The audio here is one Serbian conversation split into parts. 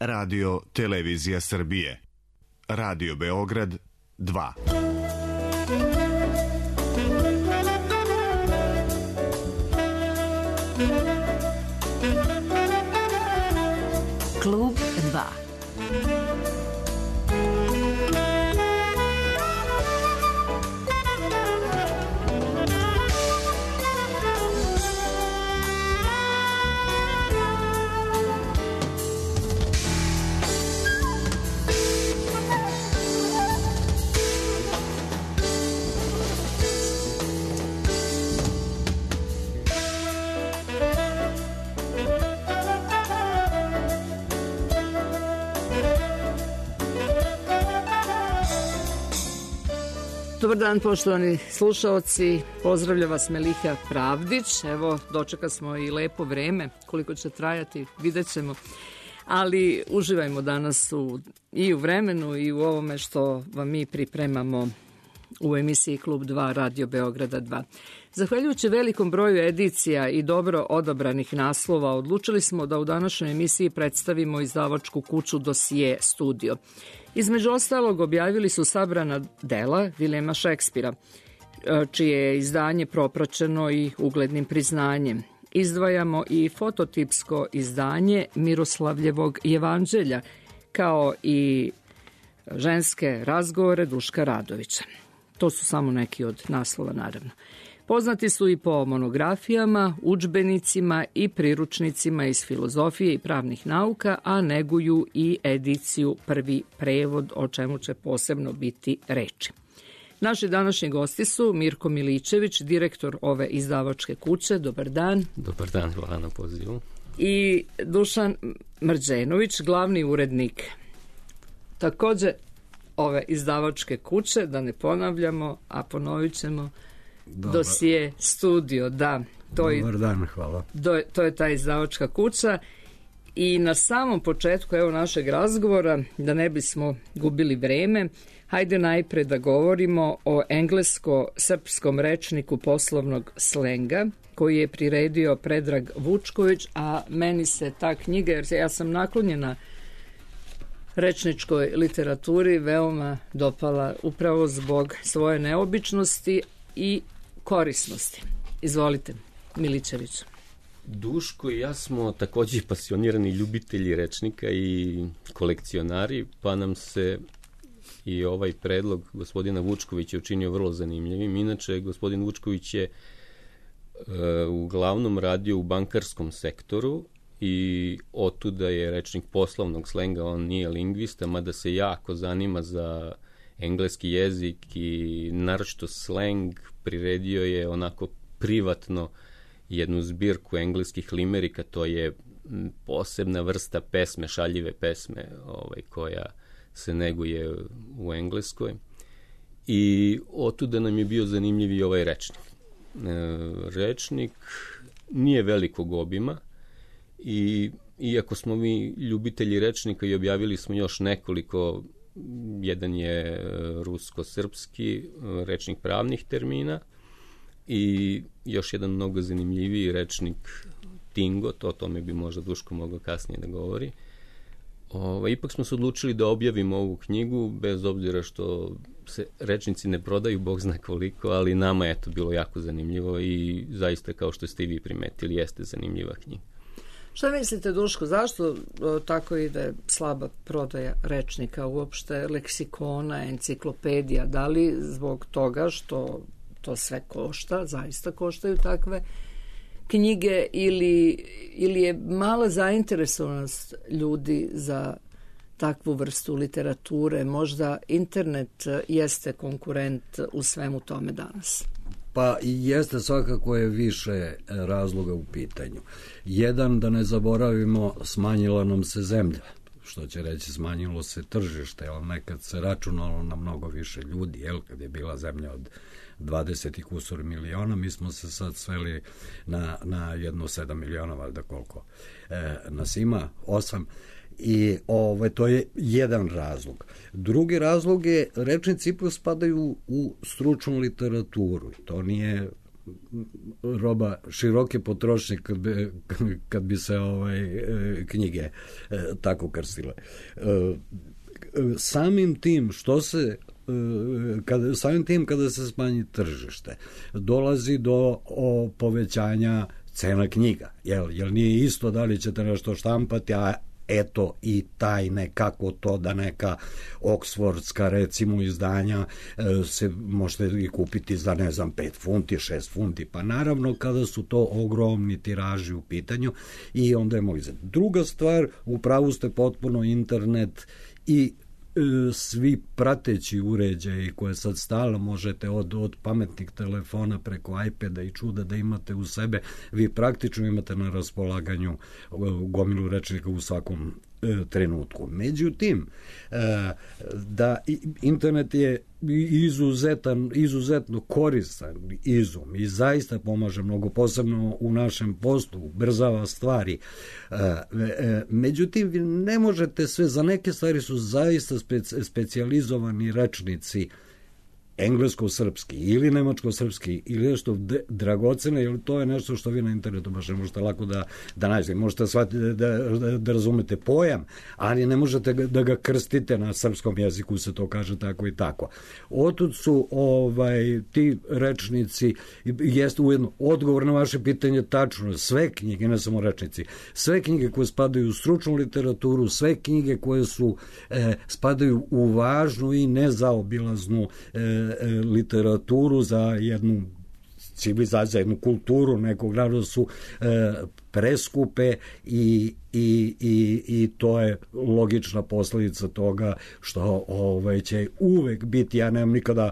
Radio Televizija Srbije. Radio Beograd 2. Klub 2. Dobar dan, poštovani slušaoci, pozdravlja vas Meliha Pravdić. Evo, dočeka smo i lepo vreme, koliko će trajati, vidjet ćemo. Ali uživajmo danas i u vremenu i u ovome što vam mi pripremamo u emisiji Klub 2 Radio Beograda 2. Zahvaljujući velikom broju edicija i dobro odabranih naslova, odlučili smo da u današnjoj emisiji predstavimo izdavačku kuću Dosije Studio. Između ostalog objavili su sabrana dela Vilijema Šekspira, čije je izdanje propraćeno i uglednim priznanjem. Izdvajamo i fototipsko izdanje Miroslavljevog jevanđelja, kao i ženske razgovore Duška Radovića. To su samo neki od naslova, naravno. Poznati su i po monografijama, udžbenicima i priručnicima iz filozofije i pravnih nauka, a neguju i ediciju Prvi prevod, o čemu će posebno biti reči. Naši današnji gosti su Mirko Miličević, direktor ove izdavačke kuće. Dobar dan. Dobar dan, hvala na pozivu. I Dušan Mrđenović, glavni urednik takođe ove izdavačke kuće, da ne ponavljamo, a ponovit ćemo, Dosije Studio, da. Dobar dan, hvala. To je ta izdavačka kuća. I na samom početku evo našeg razgovora, da ne bismo gubili vreme, hajde najpre da govorimo o englesko-srpskom rečniku poslovnog slenga, koji je priredio Predrag Vučković, a meni se ta knjiga, jer ja sam naklonjena rečničkoj literaturi, veoma dopala upravo zbog svoje neobičnosti i korisnosti. Izvolite, Miličević. Duško i ja smo takođe pasionirani ljubitelji rečnika i kolekcionari, pa nam se i ovaj predlog gospodina Vučkovića učinio vrlo zanimljivim. Inače, gospodin Vučković je uglavnom radio u bankarskom sektoru i otuda je rečnik poslovnog slenga, on nije lingvista, mada se jako zanima za engleski jezik i naročito sleng. Priredio je onako privatno jednu zbirku engleskih limerika, to je posebna vrsta pesme, šaljive pesme koja se neguje u Engleskoj. I otuda nam je bio zanimljiv i ovaj rečnik. Rečnik nije velikog obima i iako smo mi ljubitelji rečnika i objavili smo još nekoliko, jedan je rusko-srpski rečnik pravnih termina i još jedan mnogo zanimljiviji rečnik Tingot, o tome bi možda Duško mogao kasnije da govori. Ipak smo se odlučili da objavimo ovu knjigu, bez obzira što se rečnici ne prodaju, Bog zna koliko, ali nama je to bilo jako zanimljivo i zaista, kao što ste i vi primetili, jeste zanimljiva knjiga. Šta mislite, Duško, zašto tako ide slaba prodaja rečnika, uopšte leksikona, enciklopedija? Da li zbog toga što to sve košta, zaista koštaju takve knjige, ili je mala zainteresovanost ljudi za takvu vrstu literature? Možda internet jeste konkurent u svemu tome danas. Pa i jeste, svakako je više razloga u pitanju. Jedan, da ne zaboravimo, smanjila nam se zemlja, što će reći smanjilo se tržište, ali nekad se računalo na mnogo više ljudi, kad je bila zemlja od 20 i kusur miliona, mi smo se sad sveli na jedno 7 miliona, valjda koliko nas ima, 8. I to je jedan razlog. Drugi razlog je, rečnici ipak spadaju u stručnu literaturu. To nije roba široke potrošnje kad bi se knjige tako krstile. Samim tim kada se smanji tržište, dolazi do povećanja cena knjiga. Jel nije isto da li ćete nešto štampati, a eto i tajne kako to da neka oksfordska recimo izdanja se možete i kupiti za 5 funti, 6 funti, pa naravno kada su to ogromni tiraži u pitanju i onda je moguće. Druga stvar, u pravu ste potpuno, internet i svi prateći uređaji koje sad stalno možete od pametnih telefona preko iPada i čuda da imate u sebe, vi praktično imate na raspolaganju gomilu rečnika u svakom trenutku. Međutim, da internet je izuzetno koristan izum i zaista pomaže mnogo, posebno u našem poslu, ubrzava stvari. Međutim, vi ne možete sve, za neke stvari su zaista specijalizovani rečnici englesko-srpski ili nemačko-srpski ili nešto dragocene, jer to je nešto što vi na internetu baš ne možete lako da nađete. Možete shvatiti da razumete pojam, ali ne možete da ga krstite, na srpskom jeziku se to kaže tako i tako. Otud su ti rečnici, jeste ujedno odgovor na vaše pitanje tačno, sve knjige, ne samo rečnici, sve knjige koje spadaju u stručnu literaturu, sve knjige koje spadaju u važnu i nezaobilaznu literaturu za jednu civilizaciju, jednu kulturu nekog naroda su preskupe i to je logična posledica toga što će uvek biti, ja nemam nikada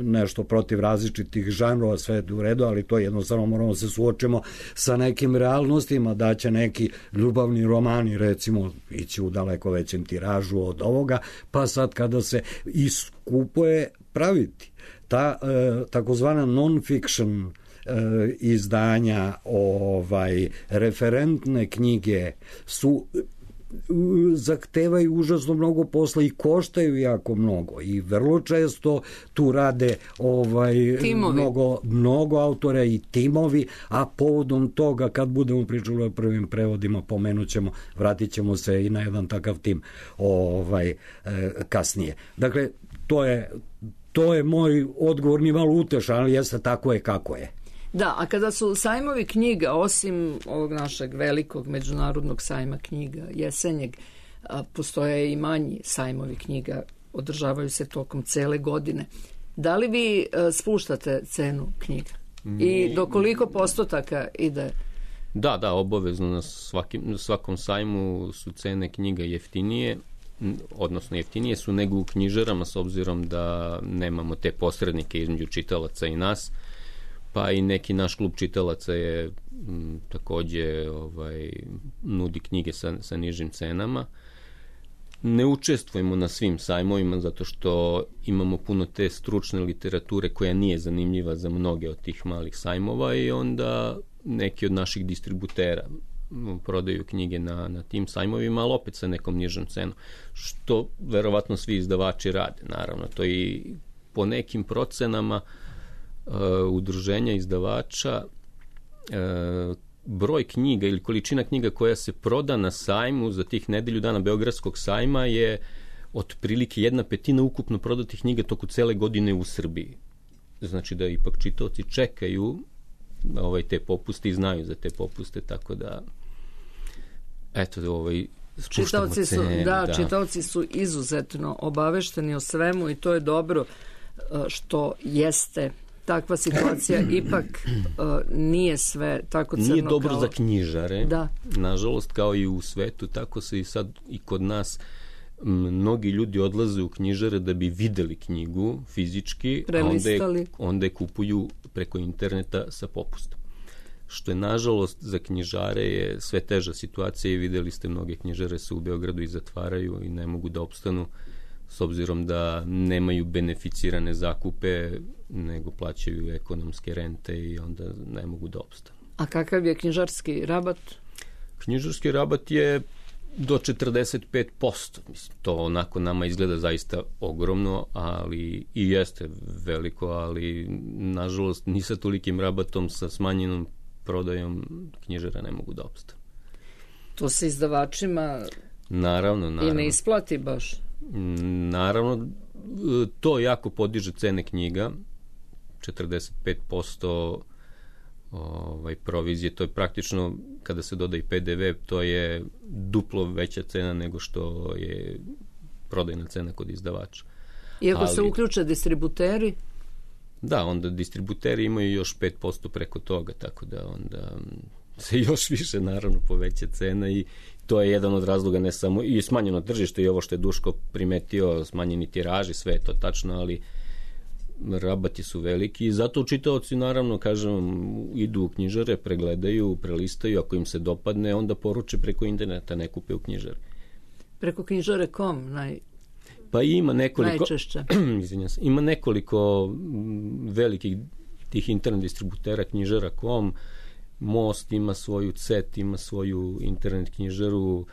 nešto protiv različitih žanrova, sve je u redu, ali to jednostavno moramo se suočimo sa nekim realnostima, da će neki ljubavni romani recimo ići u daleko većem tiražu od ovoga, pa sad kada se iskupo je praviti ta takozvana non-fiction izdanja, referentne knjige su zahtevaju užasno mnogo posla i koštaju jako mnogo i vrlo često tu rade mnogo autora i timovi, a povodom toga kad budemo pričali o prvim prevodima vratit ćemo se i na jedan takav tim kasnije. Dakle, to je moj odgovor, ni malo utešan, ali jeste tako je kako je. Da, a kada su sajmovi knjiga, osim ovog našeg velikog međunarodnog sajma knjiga, jesenjeg, postoje i manji sajmovi knjiga, održavaju se tokom cele godine. Da li vi spuštate cenu knjiga? I do koliko postotaka ide? Da, obavezno na svakom sajmu su cene knjiga jeftinije, odnosno jeftinije su nego u knjižarama, s obzirom da nemamo te posrednike između čitalaca i nas, pa i neki naš klub čitalaca je takođe nudi knjige sa nižim cenama. Ne učestvujemo na svim sajmovima zato što imamo puno te stručne literature koja nije zanimljiva za mnoge od tih malih sajmova i onda neki od naših distributera prodaju knjige na tim sajmovima, ali opet sa nekom nižom cenom, što verovatno svi izdavači rade, naravno. To i po nekim procenama udruženja izdavača broj knjiga ili količina knjiga koja se proda na sajmu za tih nedelju dana Beogradskog sajma je otprilike 1/5 ukupno prodatih knjiga toku cele godine u Srbiji. Znači da ipak čitaoci čekaju te popuste i znaju za te popuste, tako da čitaoci su, čitaoci su izuzetno obavešteni o svemu i to je dobro što jeste takva situacija, ipak nije sve tako crno. Nije dobro za knjižare, da. Nažalost, kao i u svetu, tako se i sad i kod nas mnogi ljudi odlaze u knjižare da bi videli knjigu fizički, a onda je kupuju preko interneta sa popustom. Što je, nažalost, za knjižare je sve teža situacija i videli ste, mnoge knjižare se u Beogradu i zatvaraju i ne mogu da opstanu, s obzirom da nemaju beneficirane zakupe, nego plaćaju ekonomske rente i onda ne mogu da opstanu. A kakav je knjižarski rabat? Knjižarski rabat je do 45%. Mislim, to onako nama izgleda zaista ogromno, ali i jeste veliko, ali nažalost ni sa tolikim rabatom, sa smanjenom prodajom knjižara ne mogu da opstane. To se izdavačima naravno. I ne isplati baš. Naravno, to jako podiže cene knjiga, 45% provizije, to je praktično, kada se doda i PDV, to je duplo veća cena nego što je prodajna cena kod izdavača. Iako se uključe distributeri? Da, onda distributeri imaju još 5% preko toga, tako da onda se još više naravno poveća cena i to je jedan od razloga, ne samo i smanjeno tržište i ovo što je Duško primetio, smanjeni tiraži, sve je to tačno, ali rabati su veliki i zato čitaoci naravno, kažem, idu u knjižare, pregledaju, prelistaju, ako im se dopadne, onda poruče preko interneta, ne kupe u knjižari. Preko knjižare.com pa ima nekoliko, najčešće. Ima nekoliko velikih tih internet distributera, knjižara.com, Most ima svoju, CET ima svoju internet knjižaru,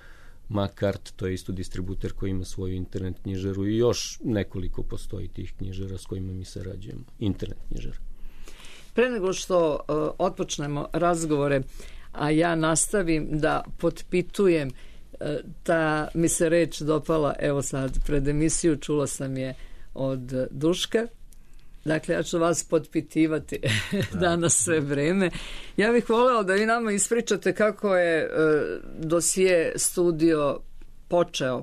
Makart, to je isto distributer koji ima svoju internet knjižaru i još nekoliko postoji tih knjižara s kojima mi sarađujemo, internet knjižara. Pre nego što otpočnemo razgovore, a ja nastavim da potpitujem, ta mi se reč dopala, evo sad pred emisiju čula sam je od Duška. Dakle, ja ću vas potpitivati danas sve vreme. Ja bih voljela da vi nama ispričate kako je dosije studio počeo.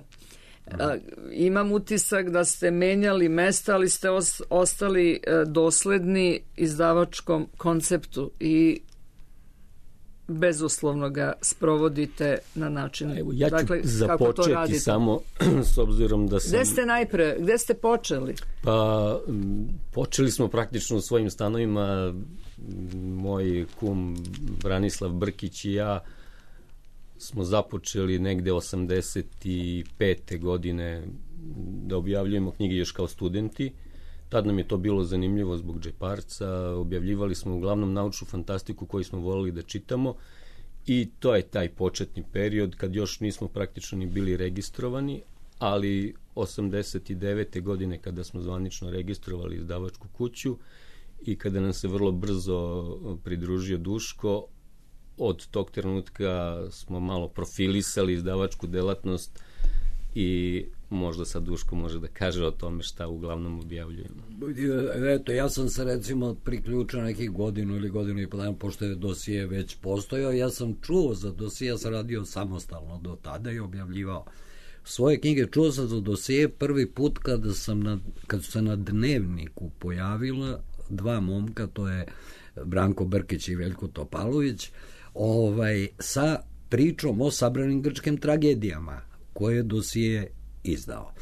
Imam utisak da ste menjali mesta, ali ste ostali dosledni izdavačkom konceptu i bezuslovno ga sprovodite na način. Evo, ja ću započeti samo s obzirom da sam... Gde ste počeli? Pa, počeli smo praktično u svojim stanovima. Moj kum Branislav Brkić i ja smo započeli negde 85. godine da objavljujemo knjige još kao studenti. Tad nam je to bilo zanimljivo zbog džeparca, objavljivali smo uglavnom naučnu fantastiku koju smo volili da čitamo i to je taj početni period kad još nismo praktično ni bili registrovani, ali 89. godine kada smo zvanično registrovali izdavačku kuću i kada nam se vrlo brzo pridružio Duško, od tog trenutka smo malo profilisali izdavačku delatnost i možda sad Duško može da kaže o tome šta uglavnom objavljujemo. Eto, ja sam se recimo priključio nekih godinu ili godinu i podan, pošto je dosije već postojao, ja sam čuo za dosije, ja sam radio samostalno do tada i objavljivao svoje knjige. Čuo sam za dosije prvi put kad su se na Dnevniku pojavila dva momka, to je Branko Brkić i Veljko Topalović, sa pričom o sabranim grčkim tragedijama koje je dosije izdao.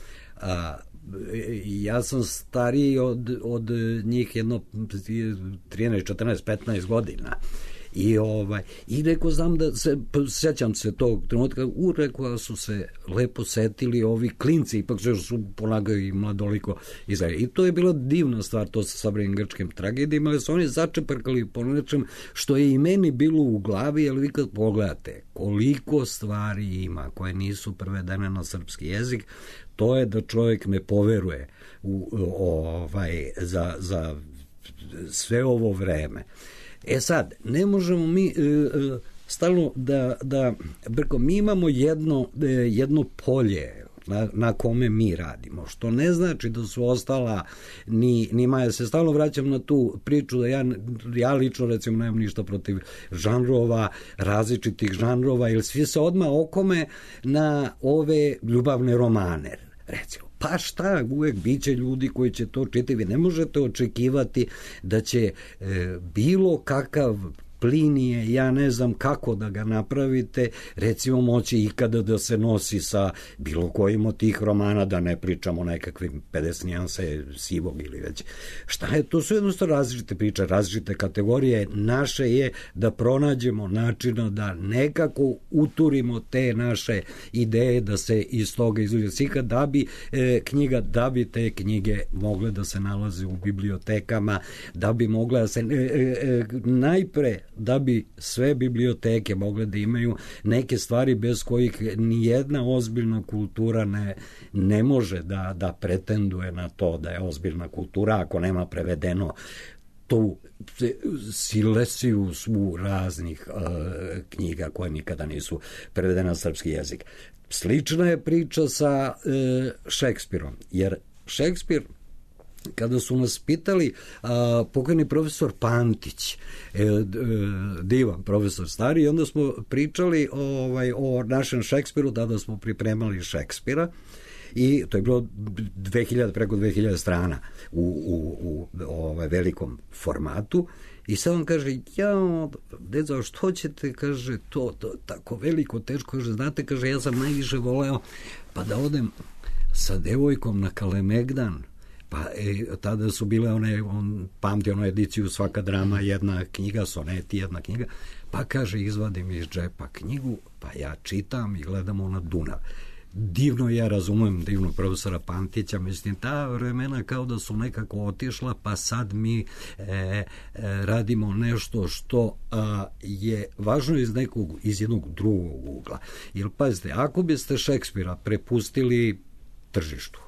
Ja sam stariji od njih jedno 13, 14, 15 godina. I rekao, znam da se, sjećam se tog trenutka, rekao su se lepo setili ovi klinci, ipak su ponagaju i mladoliko izgledali. I to je bila divna stvar, to sa sabranim grčkim tragedijama, ali su oni začeprkali po nečem što je i meni bilo u glavi, ali vi kad pogledate koliko stvari ima koje nisu prevedene na srpski jezik, to je da čovjek ne poveruje za sve ovo vreme. E sad, ne možemo mi stalno mi imamo jedno polje na kome mi radimo, što ne znači da su ostala ni Maja. Se stalno vraćam na tu priču da ja lično recimo nemam ništa protiv žanrova, različitih žanrova, jer svi se odmah okome na ove ljubavne romane, recimo. Pa šta, uvek biće ljudi koji će to čitati. Vi ne možete očekivati da će bilo kakav Plinije, ja ne znam kako da ga napravite, recimo moći ikada da se nosi sa bilo kojim od tih romana, da ne pričamo nekakvim 50 nijanse sivog ili već. Šta je? To su jednostavno različite priče, različite kategorije. Naše je da pronađemo načina da nekako uturimo te naše ideje, da se iz toga izluđe slika, da bi te knjige mogle da se nalaze u bibliotekama, da bi mogle da se najpre da bi sve biblioteke mogle da imaju neke stvari bez kojih nijedna ozbiljna kultura ne može da pretenduje na to da je ozbiljna kultura ako nema prevedeno tu silesiju svu raznih knjiga koje nikada nisu prevedene na srpski jezik. Slična je priča sa Šekspirom, jer Šekspir, kada su nas pitali, pokojni profesor Pantić, divan profesor stari, i onda smo pričali o našem Šekspiru, tada smo pripremali Šekspira, i to je bilo preko 2000 strana u velikom formatu, i sad on kaže, deco, što ćete, kaže, to tako veliko, teško, kaže, znate, kaže, ja sam najviše voleo pa da odem sa devojkom na Kalemegdan, pa tada su bile on pamti onu ediciju Svaka drama, jedna knjiga, soneti, jedna knjiga, pa kaže, izvadim iz džepa knjigu, pa ja čitam i gledamo na Dunav. Divno, ja razumem divnog profesora Pantića, mislim, ta vremena kao da su nekako otišla, pa sad mi radimo nešto što je važno iz jednog drugog ugla. Jer, pazite, ako biste Šekspira prepustili tržištu,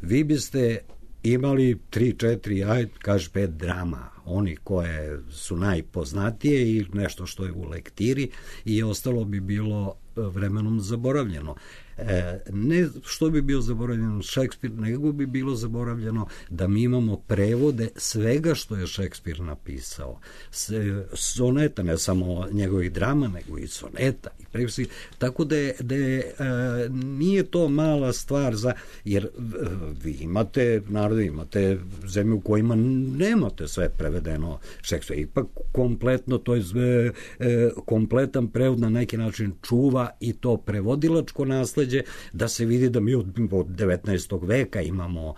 vi biste imali 3-4, kaži 5 drama, oni koje su najpoznatije i nešto što je u lektiri, i ostalo bi bilo vremenom zaboravljeno. Ne što bi bio zaboravljeno Šekspir, nego bi bilo zaboravljeno da mi imamo prevode svega što je Šekspir napisao. Soneta, ne samo njegovih drama, nego i soneta i prevesti. Tako da nije to mala stvar, jer vi imate narode, imate zemlje u kojima nemate sve prevedeno Šekspira. Ipak kompletno, to je kompletan prevod na neki način čuva i to prevodilačko nasleđe, da se vidi da mi od 19. veka imamo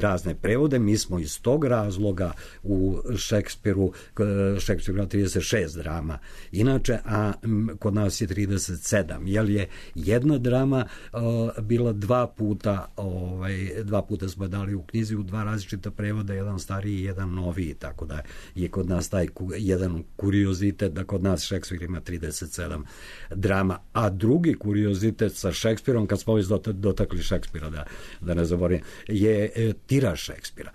razne prevode. Mi smo iz tog razloga u Šekspiru 36 drama inače, a kod nas je 37, jer je jedna drama bila dva puta smo dali u knjizi u dva različita prevoda, jedan stariji i jedan noviji, tako da je kod nas taj jedan kuriozitet da kod nas Šekspir ima 37 drama, a drugi kuriozitet sa Šekspirom, kad smo dotakli Šekspira, da ne zaboravim, je tiraž Šekspira.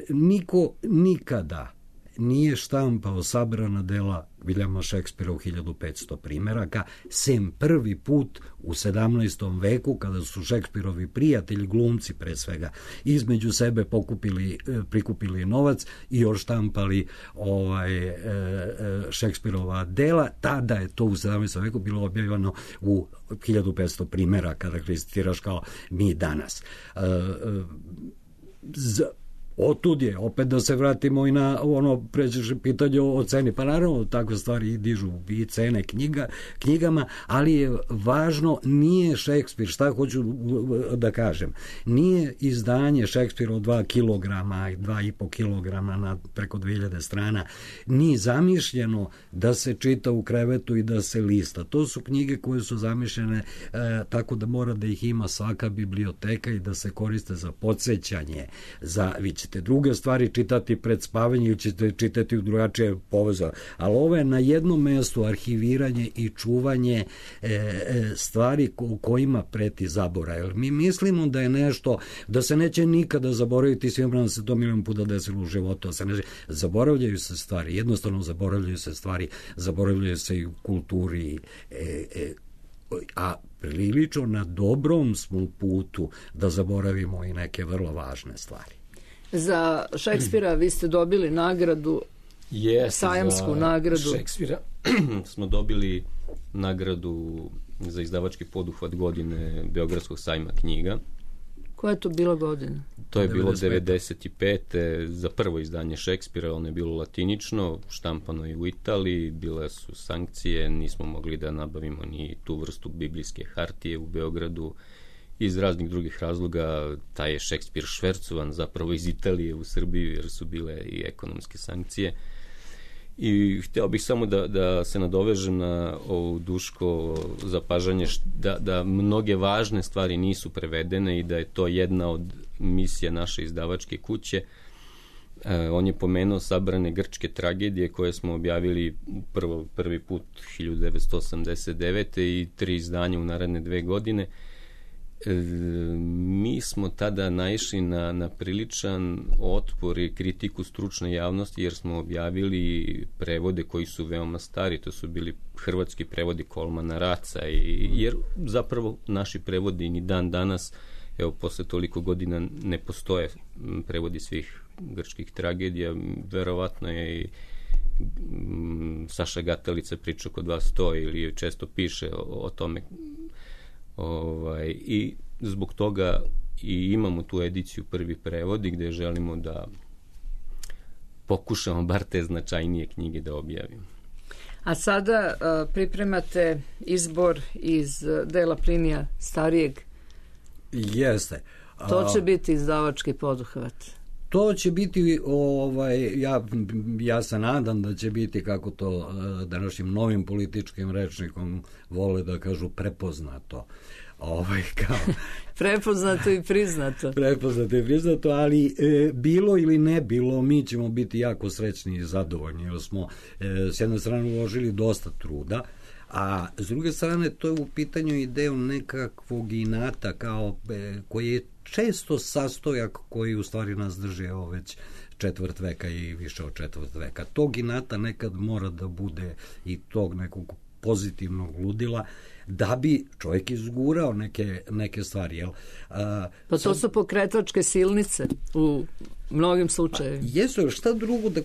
Niko nikada nije štampao sabrana dela Viljama Šekspira u 1500 primeraka, sem prvi put u 17. veku, kada su Šekspirovi prijatelji, glumci pre svega, između sebe prikupili novac i odštampali Šekspirova dela. Tada je to u 17. veku bilo objavljeno u 1500 primeraka, dakle tiraž kao mi danas. Otud je, opet da se vratimo i na ono pređeš pitanje o ceni, pa naravno takve stvari dižu i cene knjigama, ali je važno, nije Šekspir, šta hoću da kažem, nije izdanje Šekspira od 2 kilograma i 2,5 kilograma na preko 2000 strana, nije zamišljeno da se čita u krevetu i da se lista. To su knjige koje su zamišljene tako da mora da ih ima svaka biblioteka i da se koriste za podsjećanje, vi ćete druge stvari čitati pred spavanje ili ćete čitati u drugačije povezane. Ali ovo je na jednom mestu arhiviranje i čuvanje stvari kojima preti zaborav. Mi mislimo da je nešto, da se neće nikada zaboraviti, svima nam se to milion puta desilo u životu, zaboravljaju se stvari, jednostavno zaboravljaju se stvari, zaboravljaju se i u kulturi, a prilično na dobrom smo putu da zaboravimo i neke vrlo važne stvari. Za Šekspira vi ste dobili nagradu, sajamsku nagradu. Za Šekspira smo dobili nagradu za izdavački poduhvat godine Beogradskog sajma knjiga. Koja je to bila godina? To je bilo 95. za prvo izdanje Šekspira, ono je bilo latinično, štampano je u Italiji, bile su sankcije, nismo mogli da nabavimo ni tu vrstu biblijske hartije u Beogradu. Iz raznih drugih razloga taj je Šekspir švercovan zapravo iz Italije u Srbiju, jer su bile i ekonomske sankcije. I hteo bih samo da se nadovežem na ovo Duško zapažanje da mnoge važne stvari nisu prevedene i da je to jedna od misija naše izdavačke kuće, On je pomenuo sabrane grčke tragedije koje smo objavili prvi put 1989. i 3 izdanja u naredne 2 godine. Mi smo tada naišli na priličan otpor i kritiku stručne javnosti jer smo objavili prevode koji su veoma stari, to su bili hrvatski prevodi Kolmana Raca, jer zapravo naši prevodi ni dan danas, evo posle toliko godina, ne postoje prevodi svih grčkih tragedija. Verovatno je i Saša Gatalica priča kod vas to ili često piše o tome. I zbog toga i imamo tu ediciju prvi prevodi gde želimo da pokušamo bar te značajnije knjige da objavimo. A sada pripremate izbor iz dela Plinija starijeg. Jeste. To će biti izdavački poduhvat. To će biti, ja se nadam da će biti, kako to današnjim novim političkim rečnikom vole da kažu, prepoznato. Prepoznato i priznato. Prepoznato i priznato, ali bilo ili ne bilo, mi ćemo biti jako srećni i zadovoljni, jer smo s jedne strane uložili dosta truda, a s druge strane to je u pitanju i deo nekakvog inata koji je često sastojak koji u stvari nas drži već četvrt veka i više od četvrt veka. Tog inata nekad mora da bude i tog nekog pozitivnog ludila da bi čovjek izgurao neke stvari. Jel? Pa to su pokretačke silnice u mnogim slučajevima. Jesu, šta drugo da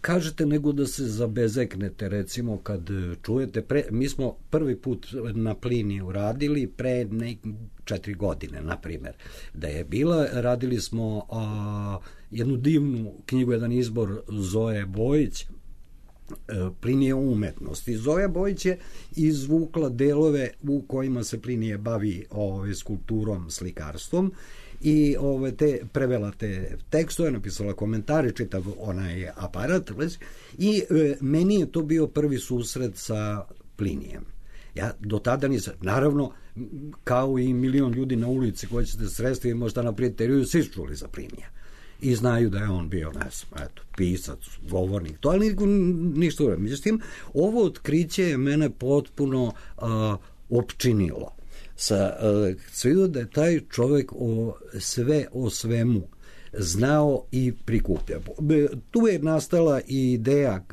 kažete nego da se zabezeknete, recimo kad čujete, mi smo prvi put na Pliniju radili pre 4 godine, na primjer, da je bila, radili smo jednu divnu knjigu, jedan izbor Zoe Bojić, Plinije umetnosti. Zoja Bojić je izvukla delove u kojima se Plinije bavi skulpturom, slikarstvom i prevela te tekstove, napisala komentare, čitav onaj aparat i meni je to bio prvi susret sa Plinijem. Ja do tada nisam, naravno, kao i milion ljudi na ulici koji ćete sresti i možda na prijatelju, svi čuli za Plinija i znaju da je on bio, ne znam, pisac, govornik, to, ali ništa uvijek. Međutim, ovo otkriće je mene potpuno opčinilo. Sve da je taj čovjek sve o svemu znao i prikupio. Tu je nastala i ideja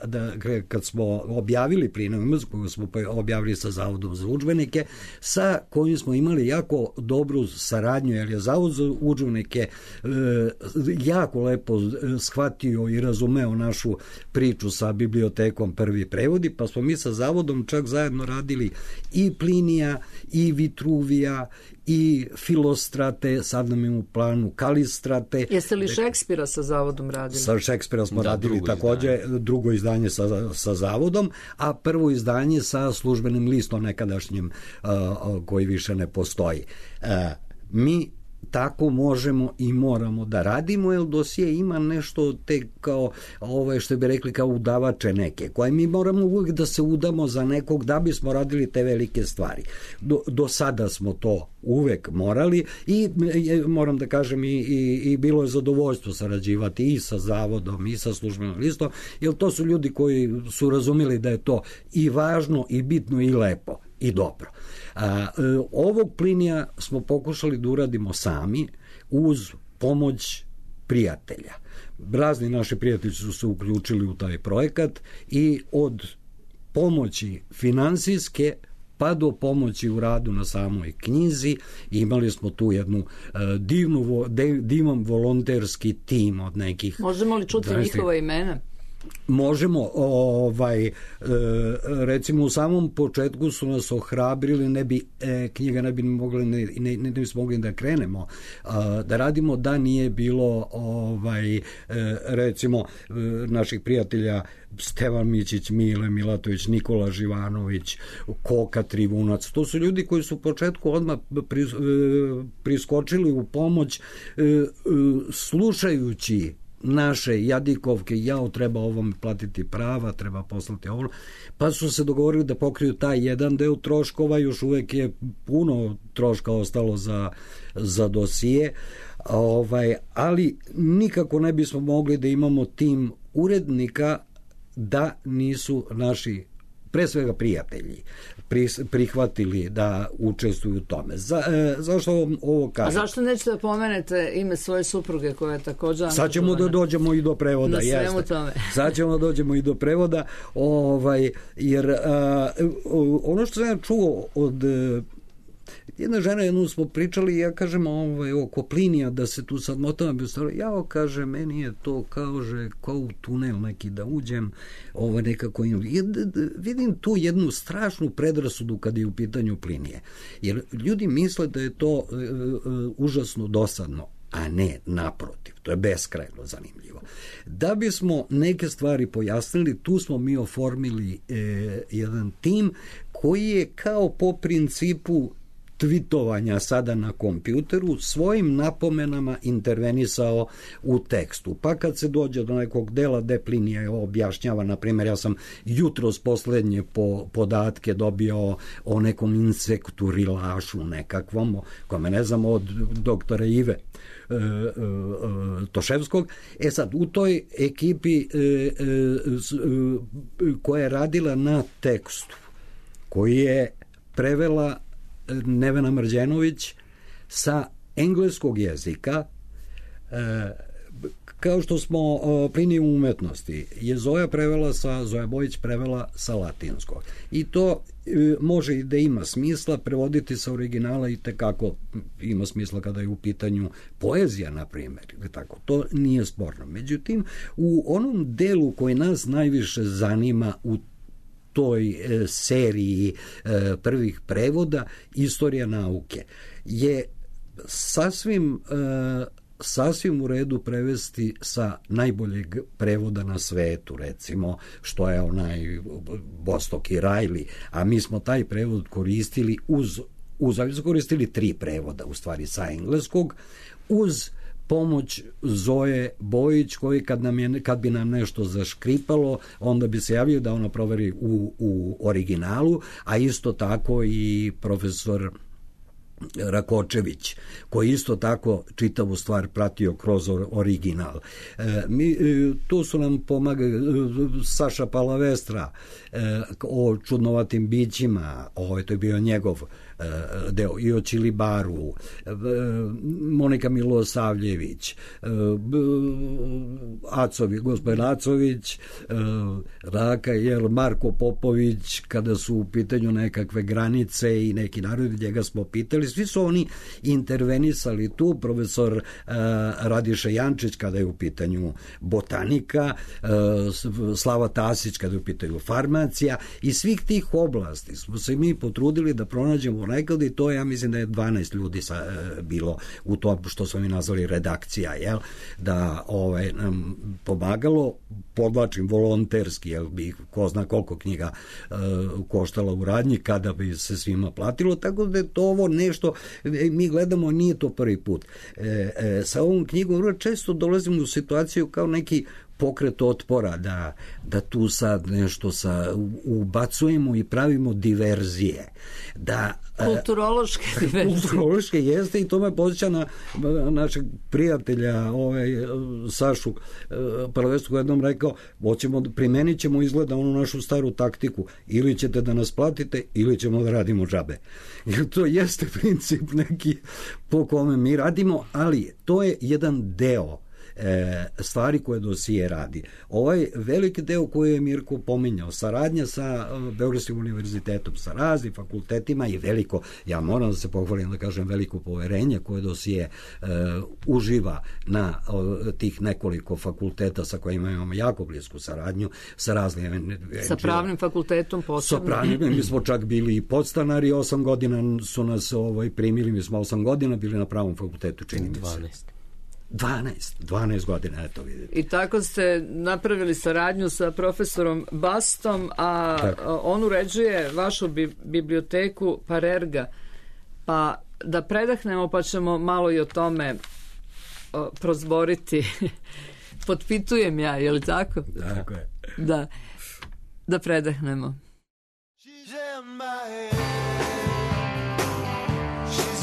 da kad smo objavili Plinovu, koju smo objavili sa Zavodom za udžbenike, sa kojim smo imali jako dobru saradnju, jer je Zavod za udžbenike jako lepo shvatio i razumeo našu priču sa bibliotekom Prvi prevodi, pa smo mi sa Zavodom čak zajedno radili i Plinija, i Vitruvija, i Filostrate, sad nam je u planu Kalistrate. Jeste li Šekspira sa Zavodom radili? Sa Šekspira smo radili takođe, drugo izdanje sa Zavodom, a prvo izdanje sa Službenim listom nekadašnjim, koji više ne postoji. Mi tako možemo i moramo da radimo, jer dosije ima nešto te kao, što bi rekli, kao udavače neke, koje mi moramo uvijek da se udamo za nekog da bismo radili te velike stvari. Do sada smo to uvek morali i moram da kažem i bilo je zadovoljstvo sarađivati i sa Zavodom i sa Službenim listom, jer to su ljudi koji su razumeli da je to i važno i bitno i lepo i dobro. Ovog Plinija smo pokušali da uradimo sami uz pomoć prijatelja. Razni naši prijatelji su se uključili u taj projekat i od pomoći finansijske pa do pomoći u radu na samoj knjizi imali smo tu jednu divan volonterski tim od nekih... Možemo li čuti njihova imena? Možemo, recimo u samom početku su nas ohrabrili, knjiga ne bi mogli, ne bismo mogli da krenemo da radimo da nije bilo recimo naših prijatelja Stevan Mićić, Mile Milatović, Nikola Živanović, Koka Trivunac. To su ljudi koji su u početku odmah priskočili u pomoć slušajući naše jadikovke, treba ovom platiti prava, treba poslati ovo, pa su se dogovorili da pokriju taj jedan deo troškova, još uvek je puno troška ostalo za dosije, ali nikako ne bismo mogli da imamo tim urednika da nisu naši, pre svega prijatelji, prihvatili da učestvuju u tome. Zašto ovo kažem? A zašto nećete da pomenete ime svoje supruge koja je također... Sad ćemo da dođemo i do prevoda. Na svemu tome. Sad ćemo da dođemo i do prevoda, jer ono što sam ja čuo od jedna žena, jednom smo pričali i ja kažem oko Plinija, da se tu sad motam, ja kaže, meni je to kao u tunel neki da uđem, nekako vidim tu jednu strašnu predrasudu kad je u pitanju Plinije, jer ljudi misle da je to užasno dosadno, a ne, naprotiv, to je beskrajno zanimljivo. Da bismo neke stvari pojasnili, tu smo mi oformili jedan tim koji je kao po principu tvitovanja sada na kompjuteru svojim napomenama intervenisao u tekstu. Pa kad se dođe do nekog dela gde Plinije objašnjava, na primjer, ja sam jutros poslednje podatke dobio o nekom insektu rilašu nekakvom, kome ne znam, od doktora Ive Toševskog. Sad, u toj ekipi koja je radila na tekstu, koji je prevela Nevena Mrđenović sa engleskog jezika, kao što smo Pliniju umetnosti, je Zoja Bojić prevela sa latinskog. I to može i da ima smisla, prevoditi sa originala i tekako ima smisla kada je u pitanju poezija, na primjer. Tako, to nije sporno. Međutim, u onom delu koji nas najviše zanima u toj seriji prvih prevoda, Istorija nauke, je sasvim u redu prevesti sa najboljeg prevoda na svetu, recimo, što je onaj Bostock i Riley, a mi smo taj prevod koristili koristili 3 prevoda, u stvari, sa engleskog, uz pomoć Zoje Bojić, koji kad bi nam nešto zaškripalo, onda bi se javio da ona proveri u originalu, a isto tako i profesor Rakočević, koji isto tako čitavu stvar pratio kroz original. Tu su nam pomagali Saša Palavestra o čudnovatim bićima, to je bio njegov deo, i o Čilibaru, Monika Milosavljević, gospodin Acović, Raka, Marko Popović, kada su u pitanju nekakve granice i neki narodi, njega smo pitali, svi su oni intervenisali tu, profesor Radiša Jančić kada je u pitanju botanika, Slava Tasić kada je u pitanju farmacija, i svih tih oblasti smo se mi potrudili da pronađemo nekada, i to ja mislim da je 12 ljudi bilo u tom što smo mi nazvali redakcija, da nam pomagalo, podlačim volonterski, bi ko zna koliko knjiga koštala u radnji kada bi se svima platilo, tako da je to ovo nešto, mi gledamo, nije to prvi put. Sa ovom knjigom često dolazimo u situaciju kao neki pokret otpora, da tu sad nešto ubacujemo i pravimo diverzije. Kulturološke diverzije. Kulturološke jeste, i to me podsjeća na našeg prijatelja Sašu Palavestru, koji jednom rekao, primenit ćemo izgleda onu našu staru taktiku, ili ćete da nas platite, ili ćemo da radimo džabe. Jer to jeste princip neki po kome mi radimo, ali to je jedan deo stvari koje dosije radi. Ovaj veliki deo koji je Mirko pominjao, saradnja sa Beogradskim univerzitetom, sa raznim fakultetima, i veliko, ja moram da se pohvalim, da kažem, veliko poverenje koje dosije uživa na tih nekoliko fakulteta sa kojima imamo jako blisku saradnju, sa raznim... Sa pravnim fakultetom posebno. Sa pravnim, mi smo čak bili i podstanari, 8 godina su nas primili, mi smo 8 godina bili na pravom fakultetu, čini mi se. 12 godina, eto vidite. I tako ste napravili saradnju sa profesorom Bastom, a on uređuje vašu biblioteku Parerga. Pa da predahnemo, pa ćemo malo i o tome prozboriti. Potpitujem ja, je li tako? Tako je. Da predahnemo. She's in my head. She's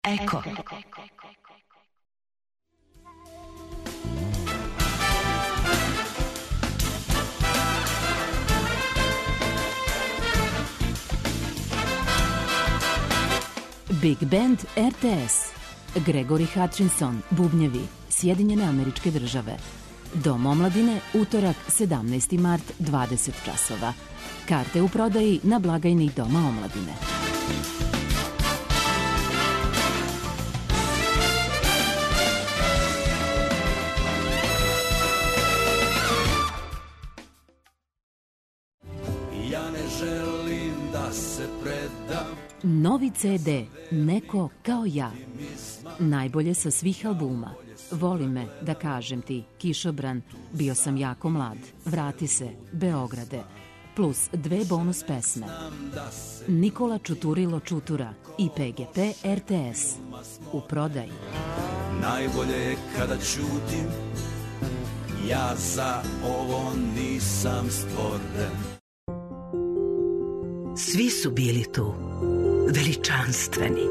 Eko. Big Band RTS. Gregory Hutchinson, bubnjevi, Sjedinjene Američke Države. Dom omladine, utorak, 17. mart, 20 časova. Karte u prodaji na blagajni Doma omladine. Ja ne želim da se predam. Novi CD, Neko kao ja. Najbolje sa svih albuma. Voli me, da kažem ti, Kišobran, Bio sam jako mlad, Vrati se, Beograde, plus 2 bonus pesme. Nikola Čuturilo Čutura i PGP RTS. U prodaji. Najbolje je kada ćutim, ja za ovo nisam stvoren. Svi su bili tu, veličanstveni,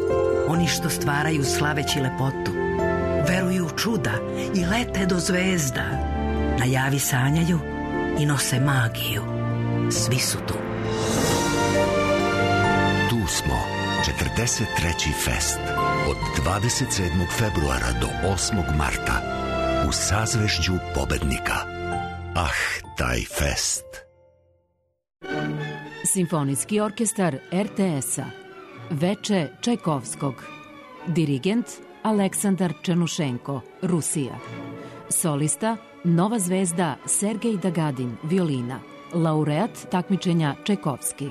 oni što stvaraju slaveći lepotu, veruju u čuda i lete do zvezda, na javi sanjaju i nose magiju. Svi su tu. Tu smo, 43. fest, od 27. februara do 8. marta, u sazvežđu pobednika. Taj fest. Simfonijski orkestar RTS-a. Veče Čajkovskog. Dirigent Aleksandar Černušenko, Rusija. Solista Nova zvezda Sergej Dagadin, violina. Laureat takmičenja Čajkovski.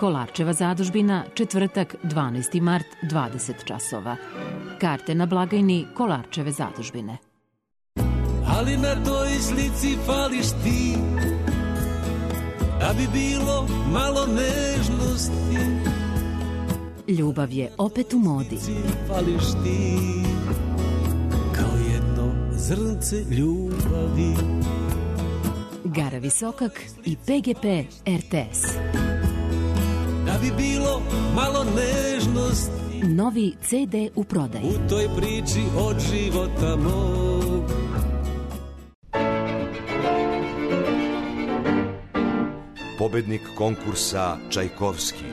Kolarčeva zadužbina, četvrtak, 12. mart, 20 časova. Karte na blagajni Kolarčeve zadužbine. Ali na toj slici fališ ti, da bi bilo malo nežnosti. Ljubav je opet u modi. Fališ ti, kao jedno zrnce ljubavi. Gara Visokak i PGP RTS. Da bi bilo malo nežnosti. Novi CD u prodaji. U toj priči od života mog. Pobednik konkursa Čajkovski,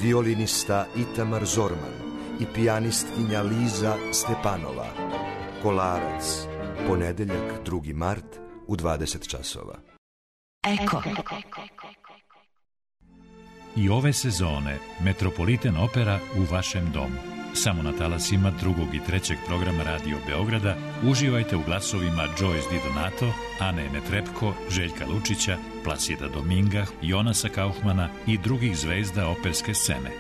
violinista Itamar Zorman i pijanistkinja Liza Stepanova. Kolarac, ponedeljak, 2. mart, u 20 časova. Eko. I ove sezone Metropolitan Opera u vašem domu. Samo na talasima 2. i 3. programa Radio Beograda uživajte u glasovima Joyce Di Donato, Ane Netrepko, Željka Lučića, Plasida Dominga, Jonasa Kaufmana i drugih zvezda operske scene.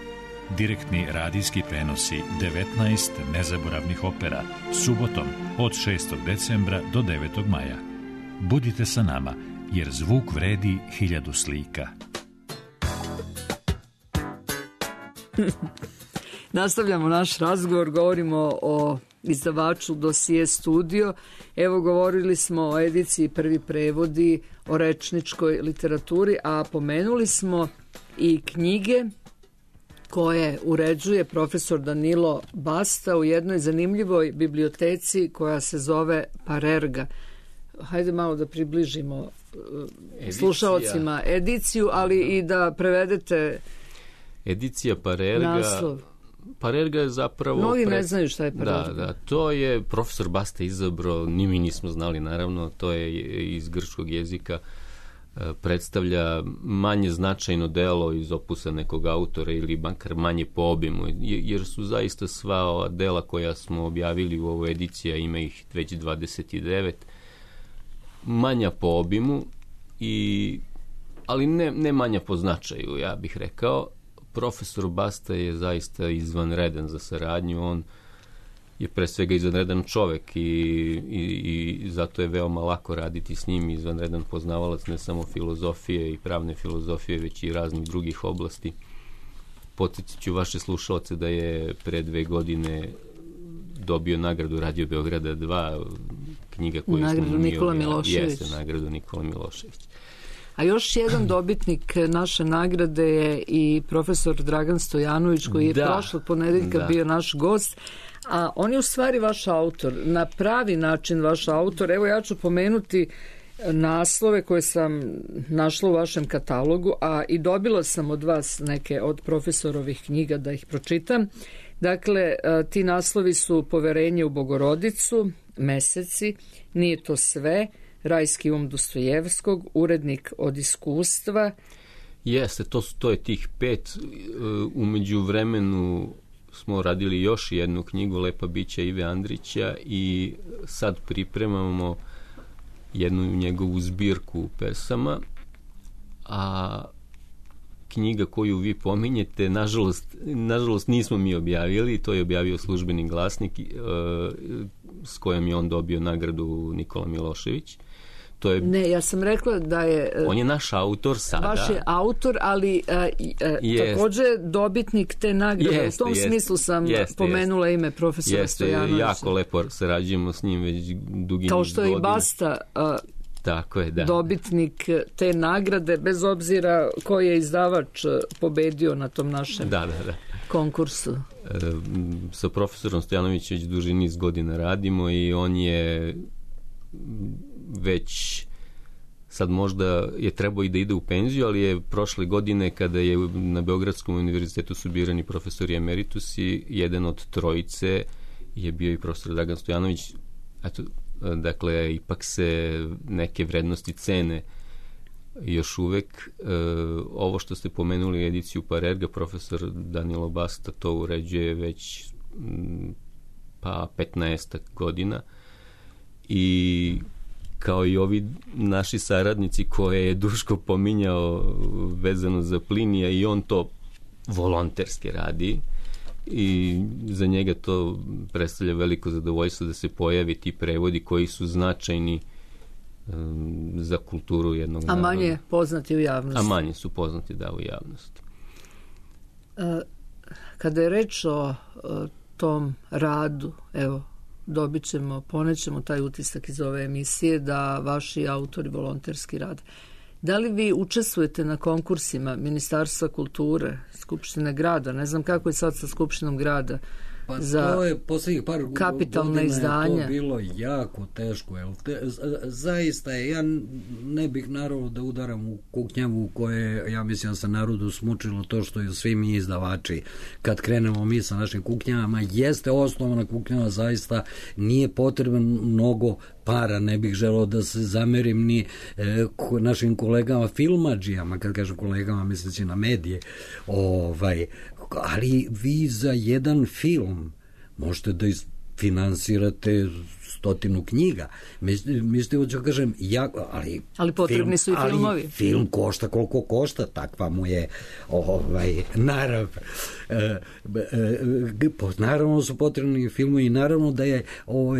Direktni radijski prenosi 19 nezaboravnih opera subotom od 6. decembra do 9. maja. Budite sa nama, jer zvuk vredi 1000 slika. Nastavljamo naš razgovor, govorimo o izdavaču Dosije Studio. Evo, govorili smo o ediciji Prvi prevodi, o rečničkoj literaturi, a pomenuli smo i knjige koje uređuje profesor Danilo Basta u jednoj zanimljivoj biblioteci koja se zove Parerga. Hajde malo da približimo slušalcima ediciju, ali i da prevedete edicija Parerga. Naslov. Parerga je zapravo... Mnogi ne znaju šta je Parerga. Da, to je profesor Basta izabrao, ni mi nismo znali naravno, to je iz grčkog jezika, predstavlja manje značajno delo iz opusa nekog autora ili makar manje po obimu, jer su zaista sva ova dela koja smo objavili u ovoj ediciji, a ima ih već 29, manja po obimu, ali ne manja po značaju, ja bih rekao. Profesor Basta je zaista izvanredan za saradnju, on je pre svega izvanredan čovek i zato je veoma lako raditi s njim, izvanredan poznavalac ne samo filozofije i pravne filozofije, već i raznih drugih oblasti. Podsjetit ću vaše slušalce da je pre 2 godine dobio nagradu Radio Beograda 2, knjiga koju nagradu smo Nikola Milošević. Jeste, nagradu Nikola Milošević. A još jedan dobitnik naše nagrade je i profesor Dragan Stojanović, koji je prošlog ponedeljka bio naš gost. A on je u stvari vaš autor, na pravi način vaš autor. Evo ja ću pomenuti naslove koje sam našla u vašem katalogu, a i dobila sam od vas neke od profesorovih knjiga da ih pročitam. Dakle, ti naslovi su Poverenje u Bogorodicu, Meseci, Nije to sve, Rajski um Dostojevskog, Urednik od iskustva. Jeste, to je tih 5. Umeđu vremenu smo radili još jednu knjigu, Lepa bića Ive Andrića, i sad pripremamo jednu njegovu zbirku pesama, a knjiga koju vi pominjete, nažalost nismo mi objavili, to je objavio Službeni glasnik s kojom je on dobio nagradu Nikola Milošević. Ne, ja sam rekla da je... On je naš autor sada. Vaš je autor, ali također dobitnik te nagrade. U tom smislu sam pomenula ime profesora Stojanovića. Jako lepo sarađujemo s njim već dugi niz godina. Kao što je i Basta tako je, da. Dobitnik te nagrade, bez obzira koji je izdavač pobedio na tom našem konkursu. Sa profesorom Stojanovićem već duži niz godina radimo i on je već sad možda je trebao i da ide u penziju, ali je prošle godine kada je na Beogradskom univerzitetu su birani profesori emeritusi, jedan od trojice je bio i profesor Dragan Stojanović. Eto, dakle, ipak se neke vrednosti cene još uvek. Ovo što ste pomenuli, ediciju Parerga, profesor Danilo Basta to uređuje već 15 godina i kao i ovi naši saradnici koje je Duško pominjao vezano za Plinija, i on to volonterski radi i za njega to predstavlja veliko zadovoljstvo da se pojavi ti prevodi koji su značajni za kulturu jednog naroda. A manje poznati u javnosti. A manje su poznati, da, u javnosti. Kada je reč o tom radu, evo, dobit ćemo, ponećemo taj utisak iz ove emisije da vaši autori volonterski rade. Da li vi učestvujete na konkursima Ministarstva kulture, Skupštine grada? Ne znam kako je sad sa Skupštinom grada. Pa to je posljednjih par kapitalna izdanja. Je to bilo jako teško. Zaista je, ja ne bih naravno da udaram u kuknjavu koje, ja mislim, se narodu smučilo to što je svi mi izdavači. Kad krenemo mi sa našim kuknjavama, jeste osnovna kuknjava, zaista nije potrebno mnogo para, ne bih želeo da se zamerim ni našim kolegama filmadžijama, kad kažem kolegama misleći na medije, ali vi za jedan film možete da finansirate 100 knjiga. Mislite, hoću kažem, ali potrebni su i filmovi. Ali film košta koliko košta, takva mu je narav. Naravno su potrebni filmovi i naravno da je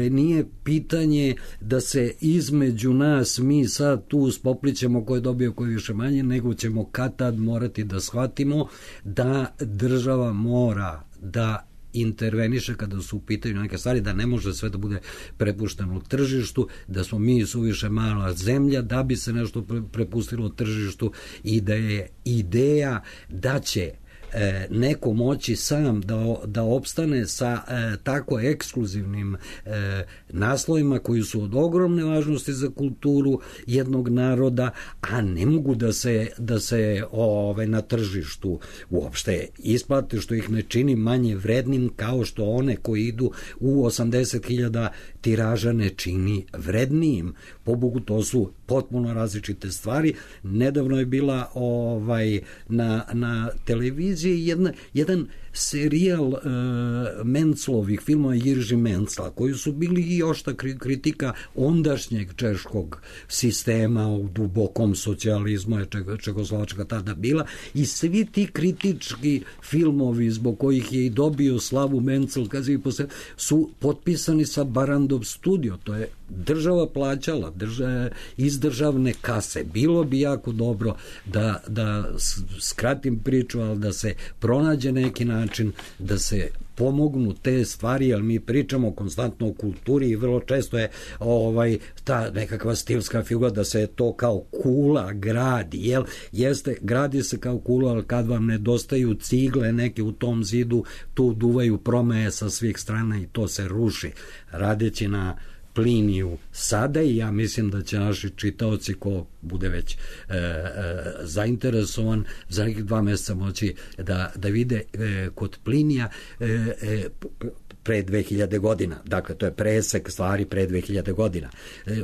nije pitanje da se između nas mi sad tu spoplićemo ko je dobio, ko je više manje, nego ćemo kad tad morati da shvatimo da država mora da interveniše kada su u pitanju neke stvari, da ne može sve da bude prepušteno tržištu, da smo mi suviše mala zemlja da bi se nešto prepustilo tržištu i da je ideja da će neko moći sam da opstane sa tako ekskluzivnim naslovima koji su od ogromne važnosti za kulturu jednog naroda, a ne mogu da se na tržištu uopšte isplate, što ih ne čini manje vrednim, kao što one koji idu u 80.000 tiraža ne čini vrednijim. Po Bogu, to su potpuno različite stvari. Nedavno je bila na televiziji jedan serijal Menclovih filmova Jirži Mencla, koji su bili i ošta kritika ondašnjeg češkog sistema u dubokom socijalizmu, Čekoslovačka tada bila, i svi ti kritički filmovi zbog kojih je i dobio slavu Mencl su potpisani sa Barrandov studio. To je država plaćala iz državne kase. Bilo bi jako dobro da skratim priču, ali da se pronađe neki način da se pomognu te stvari, jer mi pričamo konstantno o kulturi i vrlo često je ta nekakva stilska figura da se to kao kula gradi, gradi se kao kula, ali kad vam nedostaju cigle neke u tom zidu, tu duvaju promeje sa svih strana i to se ruši. Radeći na Pliniju sada, i ja mislim da će naši čitaoci, ko bude već zainteresovan, za nekih 2 meseca moći da vide kod Plinija pre 2000 godina, dakle to je presek stvari pre 2000 godina,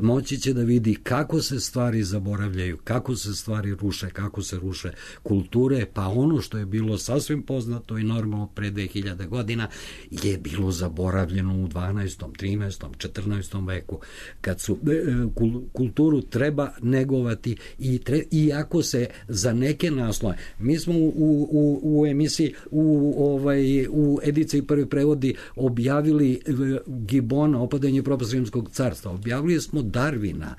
moći će da vidi kako se stvari zaboravljaju, kako se stvari ruše, kako se ruše kulture, pa ono što je bilo sasvim poznato i normalno pre 2000 godina je bilo zaboravljeno u 12., 13., 14. veku, kad su kulturu treba negovati i ako se za neke naslove, mi smo u emisiji u ediciji Prvi prevodi objavili Gibona, Opadanje i propast Rimskog carstva, objavili smo Darwina,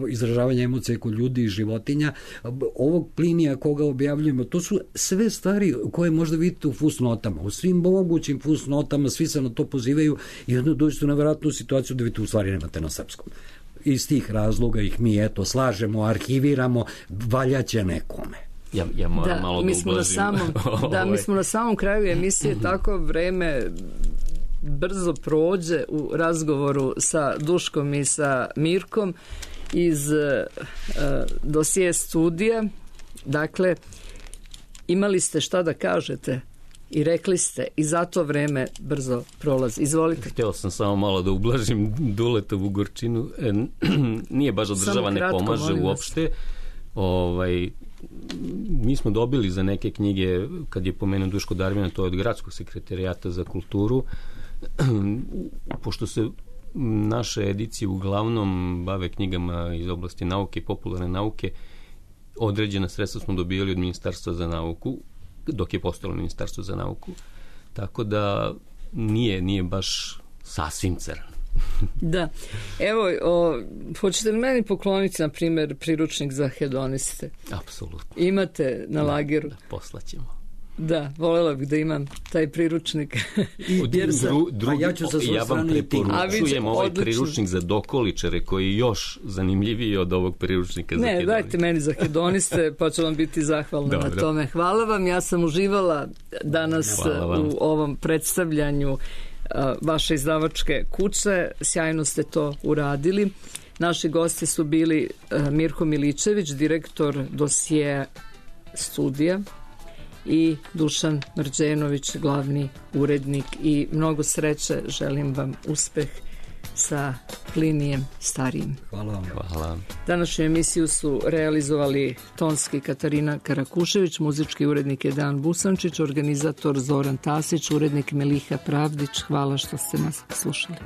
izražavanje emocije kod ljudi i životinja, ovog Plinija koga objavljujemo, to su sve stvari koje možda vidite u fusnotama, u svim mogućim fusnotama, svi se na to pozivaju i onda dođete u nevjerojatnu situaciju da vi to u stvari nemate na srpskom. Iz tih razloga ih mi slažemo, arhiviramo, valjaće nekome. Ja moram malo da ublažim. Mi smo na samom kraju emisije, tako vreme brzo prođe u razgovoru sa Duškom i sa Mirkom iz dosije studija. Dakle, imali ste šta da kažete i rekli ste i zato vreme brzo prolazi. Izvolite. Htio sam samo malo da ublažim Duletovu gorčinu. Nije baš da država ne pomaže uopšte. Mi smo dobili za neke knjige, kad je pomenuo Duško Darwina, to je od Gradskog sekretarijata za kulturu, pošto se naše edicije uglavnom bave knjigama iz oblasti nauke i popularne nauke, određena sredstva smo dobili od Ministarstva za nauku, dok je postojalo Ministarstvo za nauku, tako da nije baš sasvim crno. Da, evo, hoćete li meni pokloniti, na primjer, priručnik za hedoniste? Apsolutno. Imate na lageru? Da, poslaćemo. Da, voljela bih da imam taj priručnik. Ja vam preporučujem ovaj priručnik za dokoličare koji je još zanimljiviji od ovog priručnika za hedoniste. Ne, dajte meni za hedoniste, pa ću vam biti zahvalna na tome. Hvala vam, ja sam uživala danas u ovom predstavljanju vaše izdavačke kuće, sjajno ste to uradili. Naši gosti su bili Mirko Miličević, direktor dosije studija, i Dušan Mrđenović, glavni urednik, i mnogo sreće, želim vam uspeh sa Plinijem starijim. Hvala vam. Hvala. Današnju emisiju su realizovali tonski Katarina Karakušević, muzički urednik je Dan Busančić, organizator Zoran Tasić, urednik Meliha Pravdić. Hvala što ste nas slušali.